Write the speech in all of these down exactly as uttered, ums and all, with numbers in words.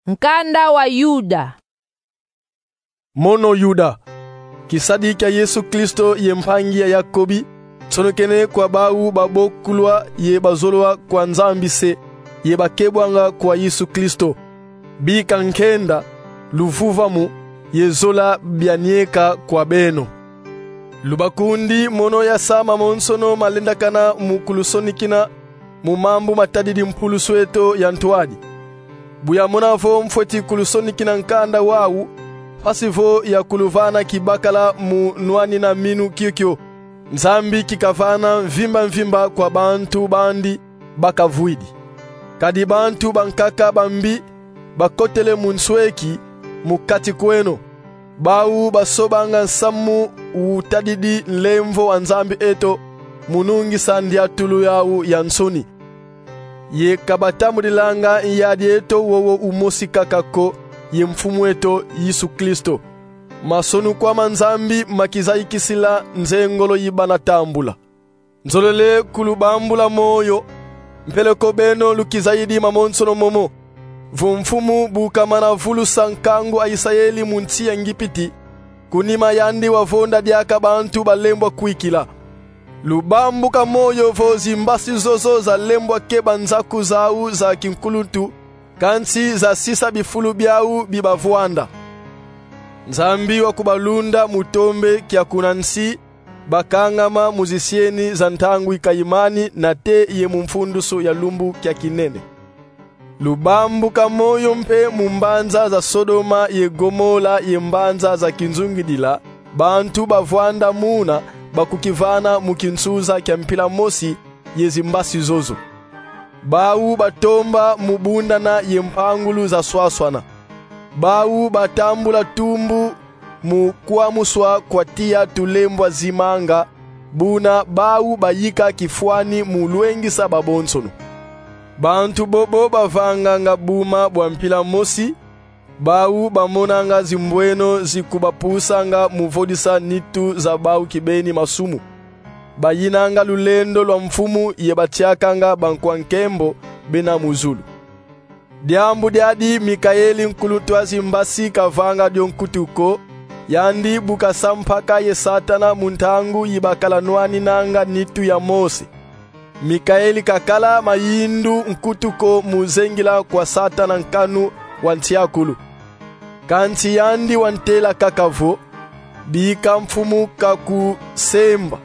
Nkanda wa Yuda. Mono Yuda, kisadi kia Yesu Kristo ye mpangi ya Yakobi, nsonekene kwa bau babokulwa ye bazolwa kwa Nzambi se, ye bakebwanga kwa Yesu Kristo. Bika nkenda, luvuvamu, ye zola bianieka kwa beno. Lubakundi mono yasa mamonsono malendakana mu kulusonikina mu mambu matadidi mpulusu eto ya ntwadi. Bu yamona vo mfweti kulusonikina nkanda wau, mpasi vo ya kuluvana kibakala mu nwanina minu kiokio, Nzambi kikavana mvimba mvimba kwa bantu bandi bakavwidi. Kadi bantu bankaka bambi bakotele mu nsweki mu kati kweno. Bau basobanga nsamu utadidi nlemvo wa Nzambi eto mu nungisa ndiatulu yau ya nsoni. Ye ka batambudilanga nyadi eto wowo umosi kaka ko, ye Mfumu eto Yesu Kristo. Masonukwa ma Nzambi makizayikisila nzengolo yi bana tambula. Nzolele kulubambula moyo, mpeleko beno lukizayidi mamonsono momo. Vo Mfumu bu kamana vulusa nkangu a Isayeli mu nsi ya Ngipiti, ku nima yandi wavonda diaka bantu balembwa kwikila. Lubambuka moyo vo zimbasi zozo zalembwa keba nzaku zau za kinkuluntu, kansi zasisa bifulu biau bi bavwanda. Nzambi wa kubalunda mu tombe kia kuna nsi, bakangama mu zisieni za ntangu ikayimani nate ye mu mfundusu ya lumbu kia kinene. Lubambuka moyo mpe mu mbanza za Sodoma ye Gomola ye mbanza za kinzungidila, bantu bavwanda muna bakukivana mu kinsuza kia mpila mosi ye zimbasi zozo. Bau batomba mu bundana ye mpangulu za swaswana. Bau batambula tumbu mu kwamuswa kwa tiya tulembwa zimanga, buna bau bayika kifwani mu lwengisa babonsono. Bantu bobo bavanganga buma bwa mpila mosi, bau bamonanga zimbweno zi kubapusanga mu vodisa nitu za bau kibeni masumu. Bayinanga lulendo lwa Mfumu ye batiakanga bankwa nkembo bena mu zulu. Diambu diadi Mikaeli, nkuluntu a zimbasi, kavanga dio nkutu ko, yandi bu kasa mpaka ye Satana mu ntangu yi bakala nwaninanga nitu ya Mose. Mikaeli kakala mayindu nkutu ko mu zengila kwa Satana nkanu wa ntiakulu. Kansi yandi wantela kaka vo: Bika Mfumu kakusemba.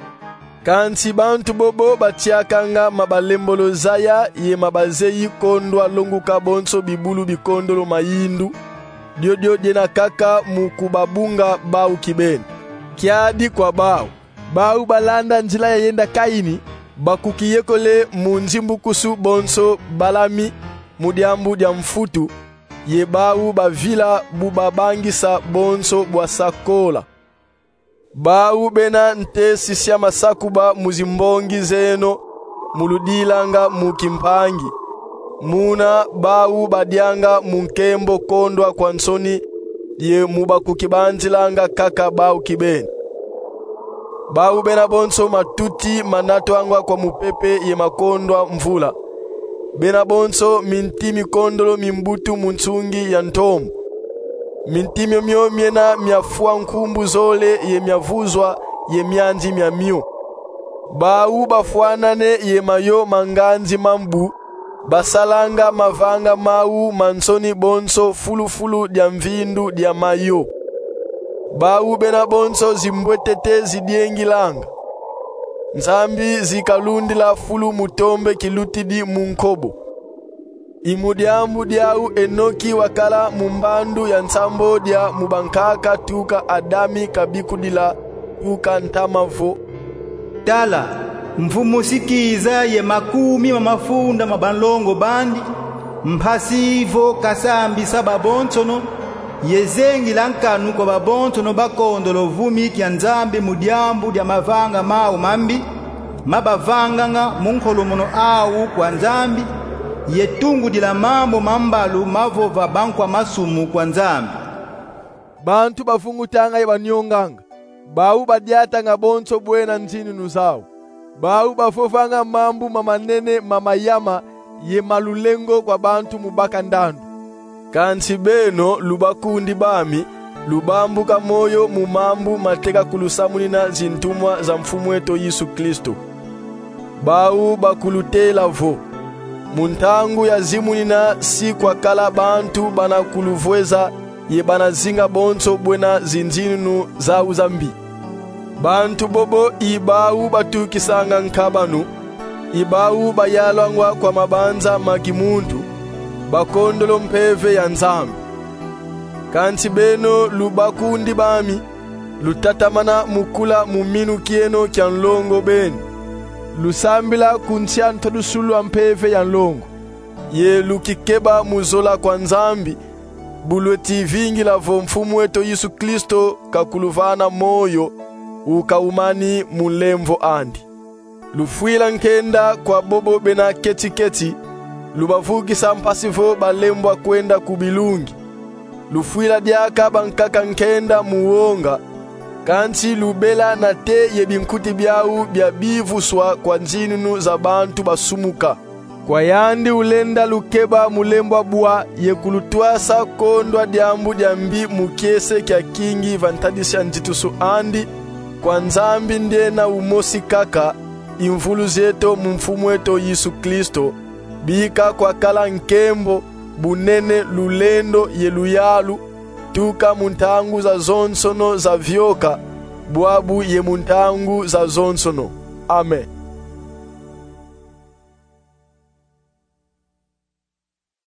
Kansi bantu bobo batiakanga ma balembolo zaya ye ma bazeyi kondwa longuka bonso bibulu bikondolo mayindu, diodio diena kaka mu kubabunga bau kibeni. Kiadi kwa bau. Bau balanda nzila ya yenda Kaini, bakukiyekole mu nzimbukusu bonso Balami mu diambu dia mfutu, ye bau bavila bu babangisa bonso bwa sakola. Bau bena nte sisia masakuba mu zimbongi zeno, mu ludilanga mu kimpangi. Muna bau badianga mu nkembo kondwa kwa nsoni, ye mu bakukibanzilanga kaka bau kibeni. Bau bena bonso matuti manatwangwa kwa mupepe ye makondwa mvula. Bena bonso minti mikondolo mi mbutu mu nsungi ya ntombo. Minti miomio miena miafwa nkumbu zole ye miavuzwa ye mianzi miamio. Bau bafwanane ye mayo ma nganzi ma mbu, basalanga mavanga mau ma nsoni bonso fulu-fulu dia mvindu dia mayo. Bau bena bonso zimbwetete zidiengilanga. Nzambi zi kalundila fulu mu tombe kilutidi mu nkobo. I mu diambu diau Enoki wakala mu mbandu ya nsambodia mu bankaka tuka Adami kabikudila tuka ntama vo: Tala, Mfumu si kiza ye makumi ma mafunda ma banlongo bandi, mpasi vo kasambisa babonsono, ye zengila nkanu kwa babonsono bakondolo vumi kia Nzambi mu diambu dia mavanga mau mambi, ma bavanganga mu nkolomono au kwa Nzambi, ye tungudila mambu ma mbalu mavova bankwa masumu kwa Nzambi. Bantu bavungutanga ye banionganga, bau badiatanga bonso bwena nzinunu zau. Bau bavovanga mambu ma manene ma mayama ye ma lulengo kwa bantu mu baka ndandu. Kansi beno, lubakundi bami, lubambuka moyo mu mambu mateka kulusamunina zintumwa za Mfumu eto Yesu Kristo. Bau bakulutela vo, mu ntangu ya zimunina si kwakala bantu bana kuluvweza ye bana zinga bonso bwena zinzinunu zau za mbi. Bantu bobo i bau batukisanga nkabanu, i bau bayalwangwa kwa mabanza ma kimuntu, bakondolo mpeve ya Nzambi. Kansi beno, lubakundi bami, lutatamana mu kula mu minu kieno kia nlongo beni. Lusambila ku nsi a ntodusulu a mpeve ya nlongo, ye lukikeba mu zola kwa Nzambi, bu lweti vingila vo Mfumu eto Yesu Kristo kakuluvana moyo, ukaumani mu nlemvo andi. Lufwila nkenda kwa bobo bena keti-keti, lubavukisa mpasi vo balembwa kwenda ku bilungi. Lufwila diaka bankaka nkenda mu wonga, kansi lubela nate ye binkuti biau bia bivuswa kwa nzinunu za bantu basumuka. Kwa yandi ulenda lukeba mu lembwa bwa ye kulutwasa kondwa diambu dia mbi mu kiese kia kingi va ntadisi a nzitusu andi, kwa Nzambi ndiena umosi kaka, i mvuluzi eto mu Mfumu eto Yesu Kristo, bika kwakala nkembo, bunene, lulendo ye luyalu, tuka mu ntangu zazonsono zavioka, bwabu ye mu ntangu zazonsono. Amen.